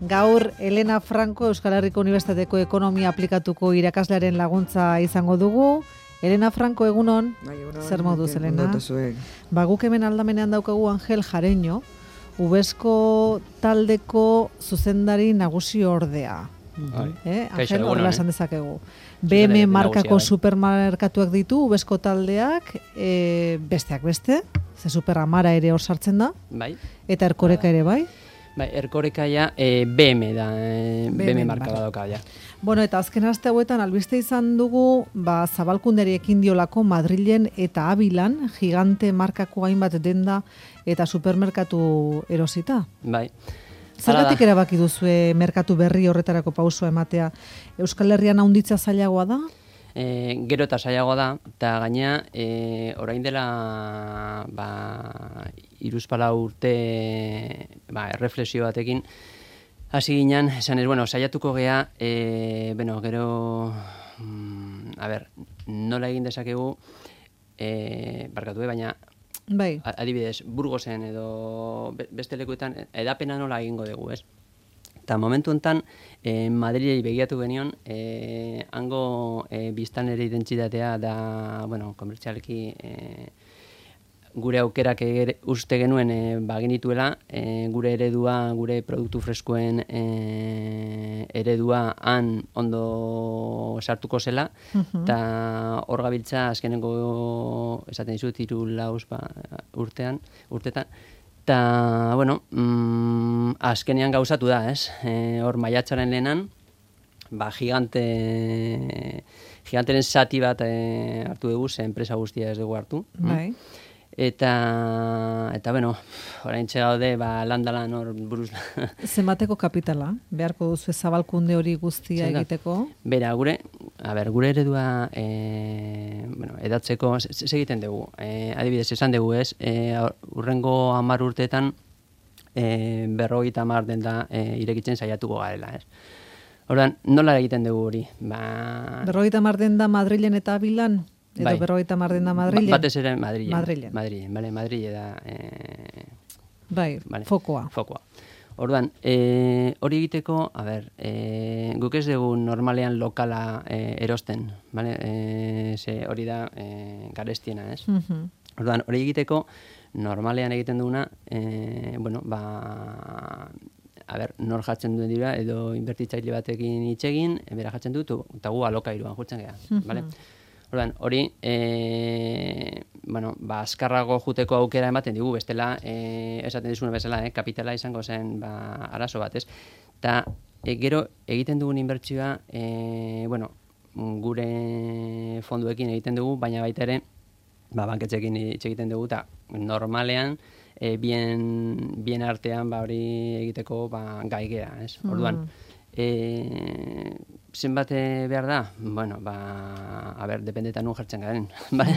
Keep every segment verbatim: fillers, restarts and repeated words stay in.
Gaur, Elena Franco Euskal Herriko Unibertsitateko Ekonomia aplikatuko irakaslearen laguntza izango dugu. Elena Franco, egunon, bai, egunon, zer moduz, Elena? Elena? Ba, guk hemen aldamenean daukagu Angel Jareño, Ubesko taldeko zuzendari nagusi ordea. Bai. Eh? Kaixo, Angel, egunon, horrela eh? esan dezakegu. B M markako nagusia, bai. supermerkatuak ditu, Ubesko taldeak, e, besteak beste, ze superamara ere hor sartzen da, Bai. eta Erkoreka ere bai. Bai, Erkoreka ja eh, B M da, eh, B M, B M marka marka. badauka ja. Bueno, eta azken aste hauetan albiste izan dugu, ba, zabalkunderi ekin diolako Madrilen eta Abilan, gigante markako hainbat denda eta supermerkatu erosita. Bai. Zergatik erabaki duzue merkatu berri horretarako pausoa ematea? Euskal Herrian handitza zailagoa da? E, gero eta saiagoa da, eta gainea, e, orain dela ba, hiruzpalau urte ba, erreflexio batekin, hasi ginen, esan ez, bueno, saiatuko gea, e, bueno, gero, mm, a ber, nola egin dezakegu, e, barkatu, baina, Bai. adibidez, Burgosen edo beste lekuetan edapena nola egingo dugu, ez? Eta momentu honetan, eh, Madrilei begiratu genion, eh, hango eh, biztanleri identitatea da, bueno, komertzialki eh, gure aukerak ere, uste genuen eh, bagenituela, eh, gure eredua, gure produktu freskoen eh, eredua han ondo sartuko zela, eta hor gabiltza azkenengo, esaten dizut, hiru lauz ba, urtean, urtetan, eta, bueno, mm, azkenean gauzatu da, ez? E, hor maiatzaren lehenan, ba, gigante, giganteren zati bat e, hartu dugu, ze enpresa guztia ez dugu hartu. Bai. Eta, eta bueno, orain txegaude, ba, landalan hor buruz. Zenbateko kapitala? Beharko duzu zabalkunde hori guztia Zer da? egiteko? Bera, gure, a ber, gure eredua e, bueno, edatzeko, ze egiten dugu. E, adibidez, esan dugu ez, e, urrengo hamar urteetan e, berrogeita hamar denda e, irekitzen saiatuko garela, ez. Orduan, nola egiten dugu hori? Ba, Berrogeita hamar denda Madrilen eta Abilan? Edo bai. berrogeita hamar denda Madrilen? Ba, batez ere Madrilen. Madrilen. Madrilen, bale, Madrile da e, Bai, vale, fokoa. Fokoa. Orduan, e, hori egiteko, a ber, e, guk ez dugu normalean lokala e, erosten, vale? E, ze hori da e, garestiena, ez? Mhm. Orduan, hori egiteko, normalean egiten duguna, e, bueno, ba, a ber, nor jatzen duen dira, edo inbertitzaile batekin hitz egin, bera jatzen dut, eta gu alokairuan jutzen geha, vale? Orduan, hori, e, bueno, ba, azkarrago juteko aukera ematen digu, bestela, e, esaten dizuna bezala, eh, kapitala izango zen, ba, arazo bat, ez? Eta, e, gero, egiten dugun inbertsioa, e, bueno, gure fonduekin egiten dugu, baina baita ere, ba, banketxekin hitz egiten dugu, eta normalean, e, bien, bien artean, ba, hori egiteko, ba, gaigea, ez? Orduan, e, zenbat behar da? Bueno, ba, a ber, dependetan nun jartzen garen, bale?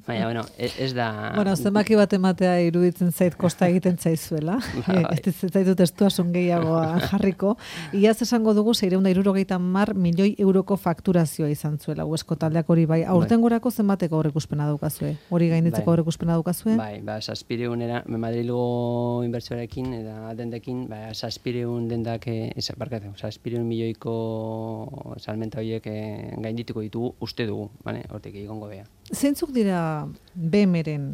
Baina, bueno, ez da... Bueno, zenbaki bat ematea iruditzen zait kosta egiten zaizuela. Ba, bai. Ez zaitut estuasun gehiagoa jarriko. Iaz esango dugu seiehun eta hirurogeita hamar milioi euroko fakturazioa izan zuela, Ubesko taldeak hori bai. Aurtengorako zenbateko aurreikuspena daukazue? Hori gainditzeko Bai. aurreikuspena daukazue? Bai, ba, zazpireunera, Madrilgo inbertsioarekin, eta dendekin, ba, zazpireun dendak, ez, barkatu, zazpireun milioiko salmenta horiek eh, gaindituko ditugu, uste dugu, bane, hortik egongo beha. Zeintzuk dira B M-ren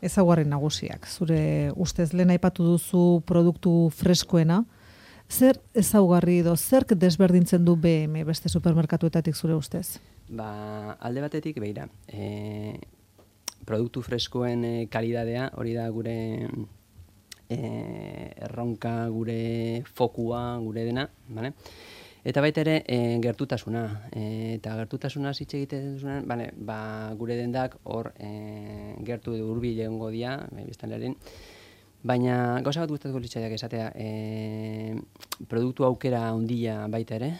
ezaugarri nagusiak? Zure ustez lehen aipatu duzu produktu freskoena. Zer ezaugarri edo zerk desberdintzen du B M beste supermerkatuetatik zure ustez? Ba, alde batetik, begira, e, produktu freskoen e, kalidadea, hori da gure e, erronka, gure fokua, gure dena, bale? Eta baita ere, e, gertutasuna. E, eta gertutasuna hitz egiten duzunean, bale, ba, gure dendak hor e, gertu hurbil egongo dira, e, biztanlearen. Baina gauza bat gustatuko litzaidak esatea, e, produktu aukera handia baita ere,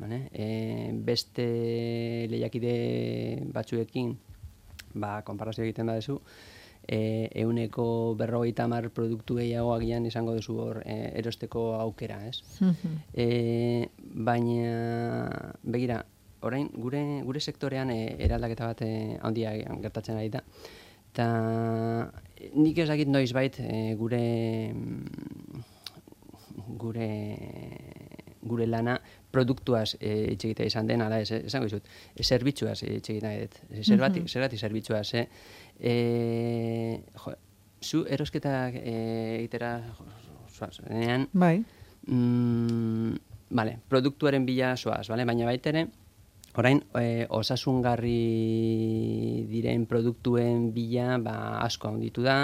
bale? E, beste lehiakide batzuekin, ba, konparazio egiten badezu, e, euneko berrogeita hamar produktu gehiago agian izango duzu hor e, erosteko aukera, ez? e, baina, begira, orain gure, gure sektorean e, eraldaketa bat e, handia gertatzen ari da. Eta nik ez dakit noizbait e, gure gure gure lana produktuaz e, itxegita izan den, ala ez, esango izut, zerbitzuaz itxegita dut. Zergatik, zergatik zerbitzuaz, eh? E, jo, zu erosketak egitera zoazenean, bai. Mm, vale, produktuaren bila zoaz, vale? Baina baitere, orain e, osasungarri diren produktuen bila ba, asko handitu da,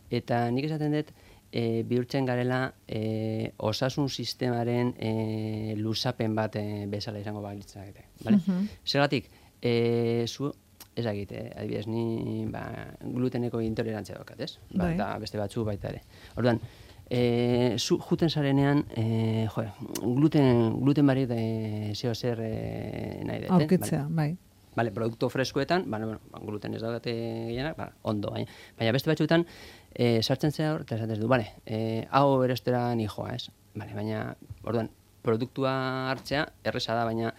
eta nik esaten dut, E, bihurtzen garela e, osasun sistemaren e, luzapen bat e, bezala izango balitzak. Vale? Uh-huh. Zergatik, e, zu, ezagit, eh, adibidez, ni ba, gluteneko intolerantzia daukat, ez? Ba, eta beste batzu baita ere. Orduan, e, zu juten zarenean, e, jo, gluten, gluten barik e, zeo zer e, nahi dut. Aurkitzea, vale? bai. Vale, produktu freskoetan, bueno, bueno, gluten ez daukate gehienak, ba, ondo, baina, baina beste batzuetan, e, sartzen zera hor, eta esaten du, bale, e, hau erostera ni joa, ez? Bale, baina, orduan, produktua hartzea, erreza da, baina,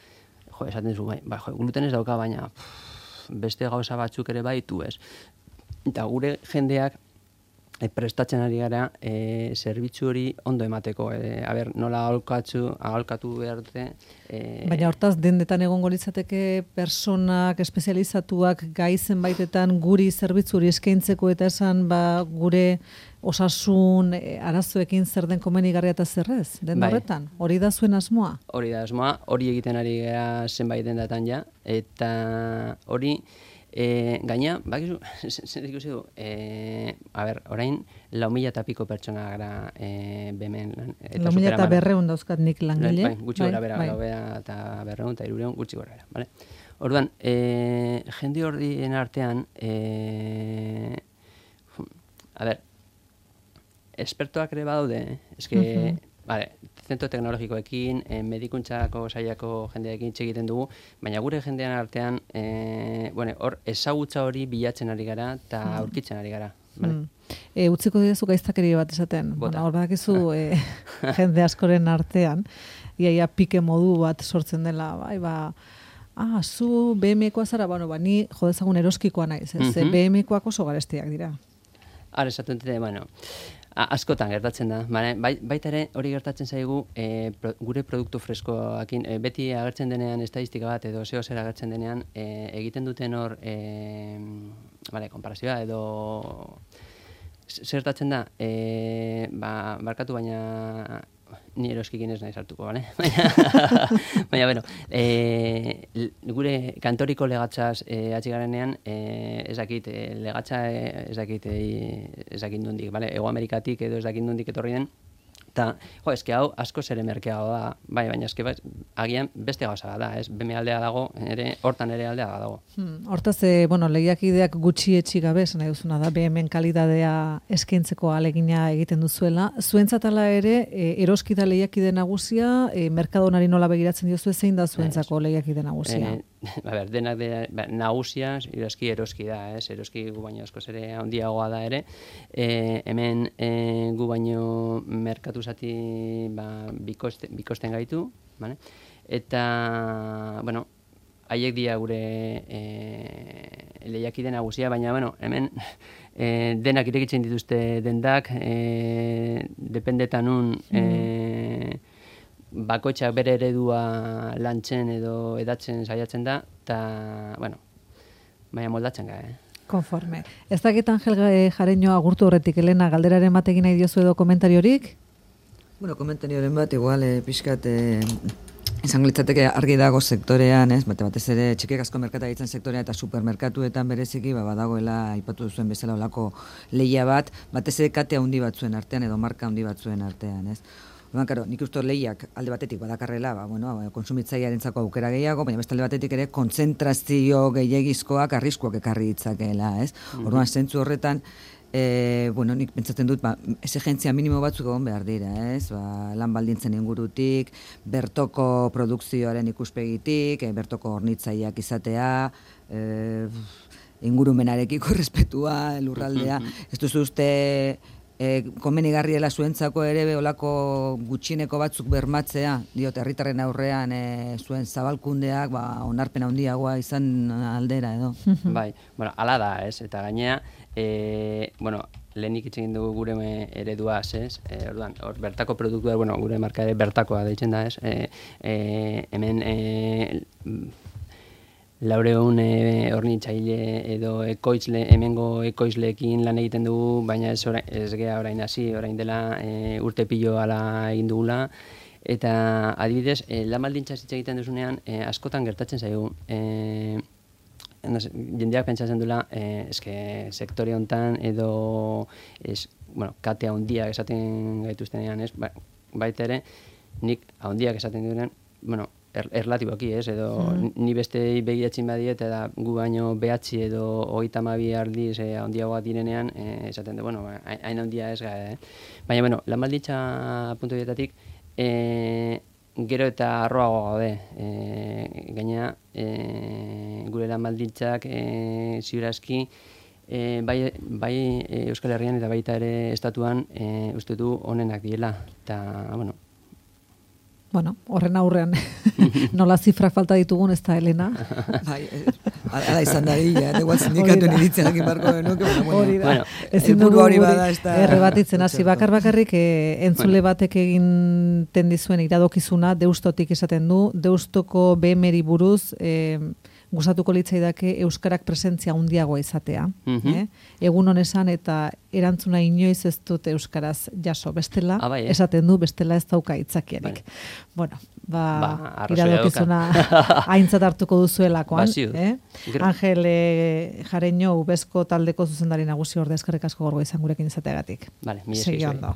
jo, esaten zu, bai, ba, jo, gluten ez dauka, baina, pff, beste gauza batzuk ere baitu, ez? Eta gure jendeak, e, prestatzen ari gara, e, zerbitzu hori ondo emateko, e, a ber, nola aholkatu, aholkatu behar dute. E, Baina hortaz, dendetan egongo litzateke personak, espezializatuak gai zenbaitetan guri zerbitzuri eskaintzeko eta esan ba, gure osasun e, arazoekin zer den komenigarria eta zerrez, den bai. horretan. Hori da zuen asmoa? Hori da asmoa, hori egiten ari gara zenbait dendatan ja, eta hori, E, gaina, bakizu, zer ikusi du, e, a ber, orain, lau mila eta piko pertsona gara e, bemen. Lau mila eta berreun dauzkat nik langile. Bai, gutxi gora bera, lau mila eta berreun eta irureun gutxi gora bera, vale? Orduan, e, jende horien artean, e, a ber, espertoak ere badaude, eske, uh-huh. Vale, zentro teknologikoekin, eh, medikuntzako saiako jendeekin egiten dugu, baina gure jendean artean, eh, bueno, hor ezagutza hori bilatzen ari gara eta mm. aurkitzen ari gara. Vale? Mm. E, utziko didezu gaiztakeri bat esaten. Bueno, hor badakizu e, jende askoren artean, iaia pike modu bat sortzen dela, bai, ba, ah, zu B M koa zara, bueno, ba, ni jodezagun eroskikoa naiz, ez? Mm-hmm. B M koak oso garestiak dira. Ara, esaten dute, bueno, askotan gertatzen da. Bai, baita ere hori gertatzen zaigu e, pro, gure produktu freskoakin, e, beti agertzen denean estadistika bat edo zeo zer agertzen denean e, egiten duten hor e, vale, konparazioa edo zertatzen da e, ba, barkatu baina ni eroskikin ez nahi sartuko, bale? Baina, bueno, e, gure kantoriko legatzaz e, atxigarenean, e, ez dakit, e, legatza e, ez dakit, e, ez dakit nondik, bale? Ego Amerikatik edo ez dakit nondik etorri den, eta, jo, eske hau asko zere merkeago da, bai, baina eske bai, agian beste gauza da, ez? Beme aldea dago, ere, hortan ere aldea dago. Hmm, hortaz, e, bueno, lehiakideak gutxi etxi gabe, nahi duzuna da, B M-en kalidadea eskaintzeko alegina egiten duzuela. Zuentzat ala ere, e, eroskida lehiakide nagusia, e, merkadonari nola begiratzen diozu, zein da zuentzako lehiakide nagusia? E, a ber, denak de, ba, nagusia, eroski eroski da, ez? Eroski gu baino askoz ere handiagoa da ere. E, hemen e, gu baino merkatu zati ba, bikoste, bikosten gaitu, vale? Eta, bueno, haiek dira gure e, lehiakide nagusia, baina, bueno, hemen e, denak irekitzen dituzte dendak, e, dependetan un, e, bakoitzak bere eredua lantzen edo edatzen saiatzen da, eta, bueno, baina moldatzen gara, eh? Konforme. Ez dakit Angel Jareño agurtu horretik, Elena, galderaren bat egin nahi diozu edo komentariorik? Bueno, komentarioren bat, igual, eh, pixkat, eh, izango litzateke argi dago sektorean, ez? Bate batez ere txikiek asko merkataritzan sektorea eta supermerkatuetan bereziki, ba, badagoela aipatu duzuen bezala olako lehia bat, batez ere kate handi batzuen artean edo marka handi batzuen artean, ez? Orduan, karo, nik uste lehiak alde batetik badakarrela, ba, bueno, kontsumitzailearentzako aukera gehiago, baina beste alde batetik ere kontzentrazio gehiagizkoak arriskuak ekarri ditzakeela, ez? Orduan, zentzu horretan, E, bueno, nik pentsatzen dut, ba, exigentzia minimo batzuk egon behar dira, ez? Ba, lan baldintzen ingurutik, bertoko produkzioaren ikuspegitik, e, bertoko hornitzaileak izatea, e, ingurumenarekiko respetua, lurraldea, ez duzu uste e, komenigarriela zuentzako ere olako gutxineko batzuk bermatzea, diot, herritarren aurrean e, zuen zabalkundeak, ba, onarpen handiagoa izan aldera edo. Bai, bueno, ala da, ez? Eta gainea, E, bueno, lehenik hitz egin dugu gure ereduaz, ez? E, orduan, hor bertako produktua, bueno, gure marka ere bertakoa deitzen da, ez? E, e, hemen e, laureun e, hornitzaile edo ekoizle, hemengo ekoizleekin lan egiten dugu, baina ez, orain, ez gea orain hasi, orain dela e, urte pilo ala egin dugula, eta adibidez, e, lan baldintza hitz egiten duzunean, e, askotan gertatzen zaigu, e, No sé, jendeak pentsatzen duela, eh, eske sektore hontan edo es, bueno, kate handiak esaten gaituztenean, ez? Ba, baita ere, nik handiak esaten duenean, bueno, er, erlatiboki, ez? Edo mm. ni beste begiratzen badiet eta gu baino behatzi edo hogeita hamabi aldiz eh, handiagoak direnean, eh, esaten du, bueno, hain handia ez gara, eh? Baina, bueno, lan baldintza puntu dietatik, eh, gero eta arroago gaude. E, gaina, e, gure lan baldintzak e, ziurazki, e, bai, bai e, Euskal Herrian eta baita ere estatuan e, uste du onenak direla. Eta, bueno, Bueno, horren aurrean, nola zifrak falta ditugun, ez da, Elena? Bai, ala izan da dira, igual sindikatuen iritzen hakin barko genuke, hori da, ezin dugu errebatitzen hasi bakar bakarrik, entzule batek egin dizuen iradokizuna, deustotik esaten du, deustoko B M-eri buruz, gustatuko litzaidake euskarak presentzia handiagoa izatea. Mm-hmm. eh? Egun honesan eta erantzuna inoiz ez dut euskaraz jaso. Bestela, ah, bai, eh? esaten du, bestela ez dauka itzakiarik. Bai. Bueno, ba, ba iradokizuna aintzat hartuko duzuelakoan. Eh? Angel eh, Jareño, Ubezko taldeko zuzendari nagusi orde, eskerrik asko gorgo izan gurekin izateagatik. Vale, Segi ondo.